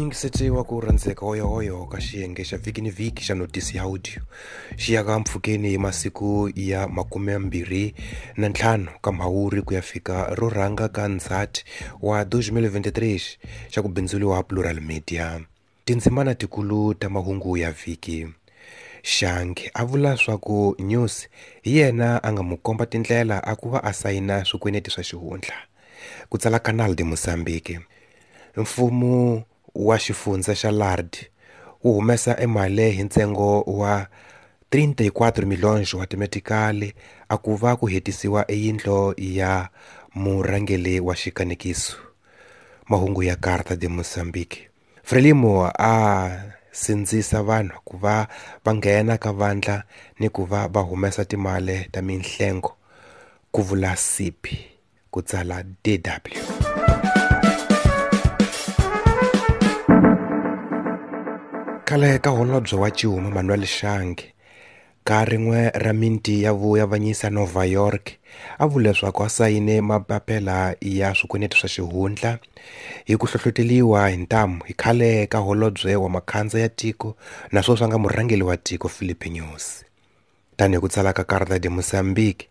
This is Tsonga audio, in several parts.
Muyingiseti wa ku rhandzeka hoyohoyo ka xiyenge xa vhiki ni vhiki xa notisi ya audio xi ya ka mpfhukeni hi masiku ya 25 ka Mhawuri ku ya fika ro rhanga ka Ndzhati wa 2023 xa ku bindzuriwa Plural Media. Tindzimana tikulu ta mahungu ya vhiki. Shange a vula swa ku News hi yena a nga mu komba tindlela a ku va a sayina swikweneti swa xihundla. Ku tsala Canal de Mozambique. Mfumo wa xifundza xa Lard wu humesa emali hi ntsengo wa 34 milhões wa timetikali a ku va ku hetisiwa eyindlo ya murhangeri wa xikanekiso. Mahungu ya Carta de Mozambique. Frelimo a sindzisa vanhu ku va va nghena ka vandla ni ku va va humesa timali ta minhlengo, ku vula Sipi, ku tsala DW. Khale ka holobye wa Cuma Manuel Shange ka rin'we ra minti ya vuavanyisa Nova York a vule leswaku a sayine mapapila ya swikweneti swa xihundla hi ku hlohloteliwa hi ntamu hi khale ka holobye wa makhandza ya tiko naswona swa nga murhangeri wa tiko Filipe Nyusi. Tanihi ku tsala ka Carta de Mozambique,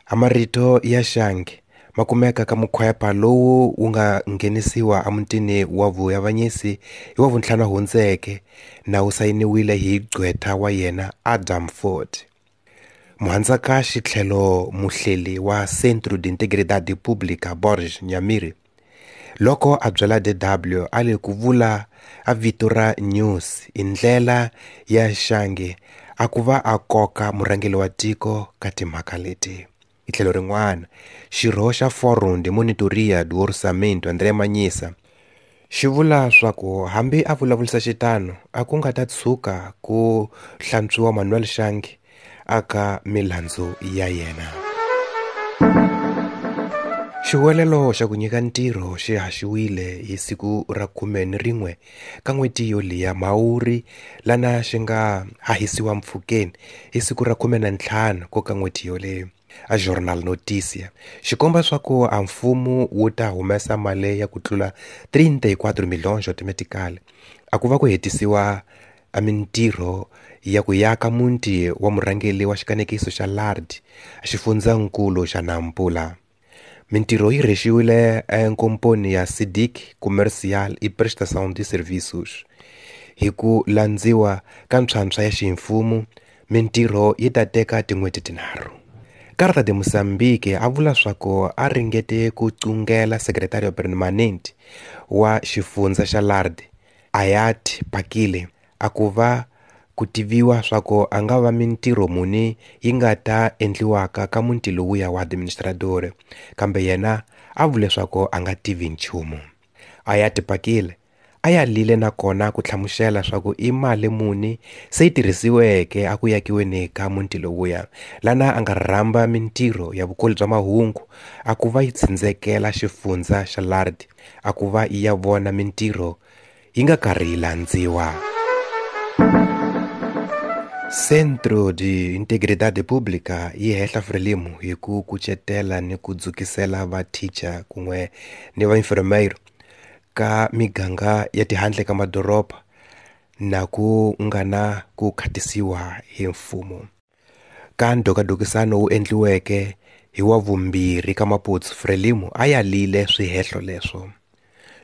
a marito ya Shange ma kumeka ka mukhwepa lowu wu nga nghenisiwa emutini wa vuavanyisi hi wa vuntlhanu hundzeke na wu sayiniwile hi gqwetha wa yena Adam Ford. Muhandzakaxi tlhelo muhleli wa Centro de Integridade Pública Borges Nyamiri loko a byela DW a le ku vula a vito ra News i ndlela ya Shange a ku va a koka murhangeri wa tiko ka timhaka leti. Hi tlhelo rin'wana, xirho xa Fórum de Monitoria do Orçamento André Manyisa xi vula swa ku hambi a vulavurisa xitano a ku nga ta tshuka ku hlantswiwa Manuel Shange aka milandzu ya yena. Xihuwelelo xa ku nyika ntirho xi haxiwile hi siku ra 11 ka n'hweti yoliya Mhawuri lana xi nga hahisiwa mpfhukeni hi siku ra 15 ko ka n'hweti yoleyo. A Jornal Notícia xikomba swa ku a mfumo wu ta humesa mali ya ku tlula 34 milhões automatically a ku va ku hetisiwa a mintirho ya ku yaka muti wa murhangeri wa xikanekiso xa Lard xifundzankulu xa Nampula. Mintirho yi rhexiwile enkomponi ya Sidic Comercial e Prestação de Serviços. Hi ku landziwa ka ntshwantshwa ya ximfumo, mintirho yi ta teka tin'hweti tinharhu. Carta de Mozambique a vula swa ku a ringete ku cungela Secretario Permanente wa xifundza xa Lard Ayat Pakile a ku va ku tiviwa swa ku a nga va mintirho muni yi nga ta endliwaka ka muti lowuya wa administrador, kambe yena a vule swa ku a nga tivi nchumu. Ayat Pakile a ya lile nakona ku hlamusela swa ku i mali muni se yi tirhisiweke a ku yakiweni ka muti lowuya, lana a nga rhamba mintirho ya vukoli bya mahungu a ku va yi tsindzekela xifundza xa Lard a ku va yi ya vona mintirho yi nga karhi yi landziwa. Centro de Integridade Pública yi hehla Frelimo hi ku kucetela ni ku dzukisela va teacher kun'we ni va enfermeiro ka miganga ya tihandle ka madoroba na ku nga na ku khatisiwa hi mfumo. Ka ndhokadokisano wu endliweke hi wa vumbirhi ka Maputsu, Frelimo a yalile swihehlo leswo.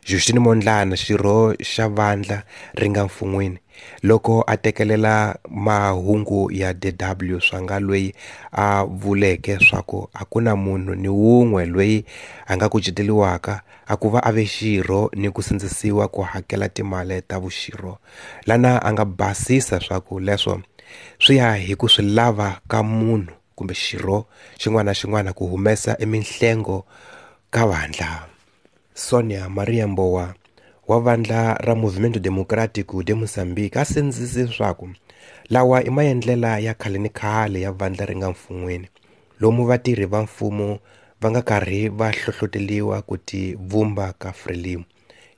Justine Mondlane, xirho xa vandla ri nga mfun'wini, loko a tekelela mahungu ya DW swa nga loyi a vuleke swa ku a ku na munhu ni wun'we loyi a nga kuceteriwaka a ku va a ve xirho ni ku sindzisiwa ku hakela timali ta vuxirho, lana a nga basisa swa ku leswo swi ya hi ku swi lava ka munhu kumbe xirho xin'wana na xin'wana ku humesa eminhlengo ka vandla. Sonia Maria Mbowa wa vandla ra Movimento Democrático de Moçambique a sindzise swa ku lawa i maendlela ya khale ni khale ya vandla ri nga mfun'wini, lomu vatirhi va mfumo va nga karhi va hlohloteliwa ku ti vumba ka Frelimo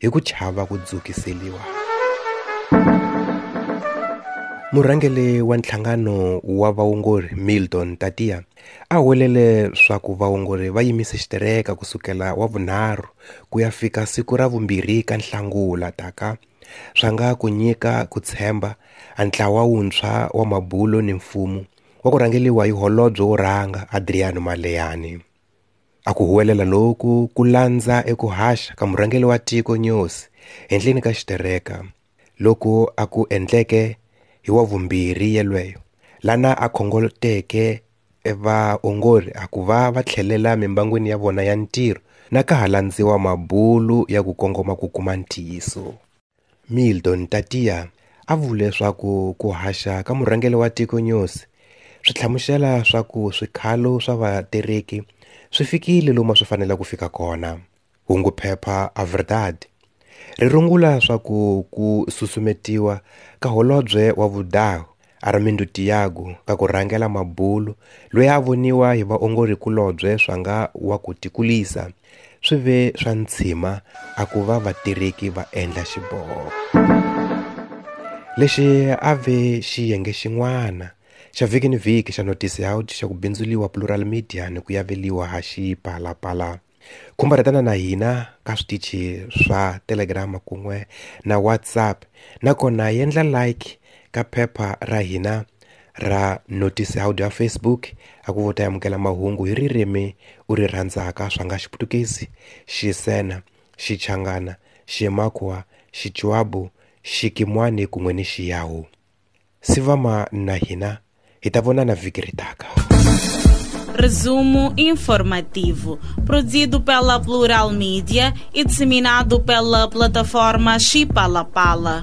hi ku chava ku dzukiseliwa. Murhangeri wa nhlangano wa vaongori Milton Tatia a huwelele swa ku vaongori va yimise xitereka kusukela wa vunharhu ku ya fika siku ra vumbirhi ka Nhlangula taka swa nga ku nyika ku tshemba a ntlawa wuntshwa wa mabulo ni mfumo wa ku rhangeliwa hi holobye wo rhanga Adriano Maleiane. A ku huwelela loku ku landza eku haxa ka murhangeri wa tiko Nyusi henhleni ka xitereka loku a ku endleke hi wa vumbirhi yelweyo lana a khongoteke vaongori a ku va va tlhelela mimbangwini ya vona ya ntirho na ka ha landziwa mabulu ya ku kongoma ku kuma ntiyiso. Milton Tatia a vule leswaku ku haxa ka murhangeri wa tiko Nyusi swi hlamusela swa ku swikhalo swa vatereki swi fikile lomu a swi fanele ku fika kona. Hunguphepha A Verdade ri rungula swa ku ku susumetiwa ka holobye wa vudahu Armindo Tiago ka ku rhangela mabulu loyi a voniwa hi vaongorikulobye swa nga wa ku tikulisa swi ve swa ntshima a ku va vatireki va endla xiboho. Lexi a ve xiyenge xin'wana xa vhiki ni vhiki xa Notice Out xa ku bindzuliwa Plural Media ni ku yaveliwa ha Xipalapala. Khumbaretana na hina ka switichi swa Telegram kun'we na WhatsApp nakona yendla like ka phepha ra hina ra Notice Out ya Facebook a ku ta amukela mahungu hi ririmi u ri rhandzaka swa nga Xiputukezi, Xisena, Xichangana, Ximakwa, Xichuabu, Xikimwani kun'we ni Xiyawu. Sivama na hina hi ta vonana vhiki ri taka. Resumo informativo, produzido pela Plural Mídia e disseminado pela plataforma Chipalapala.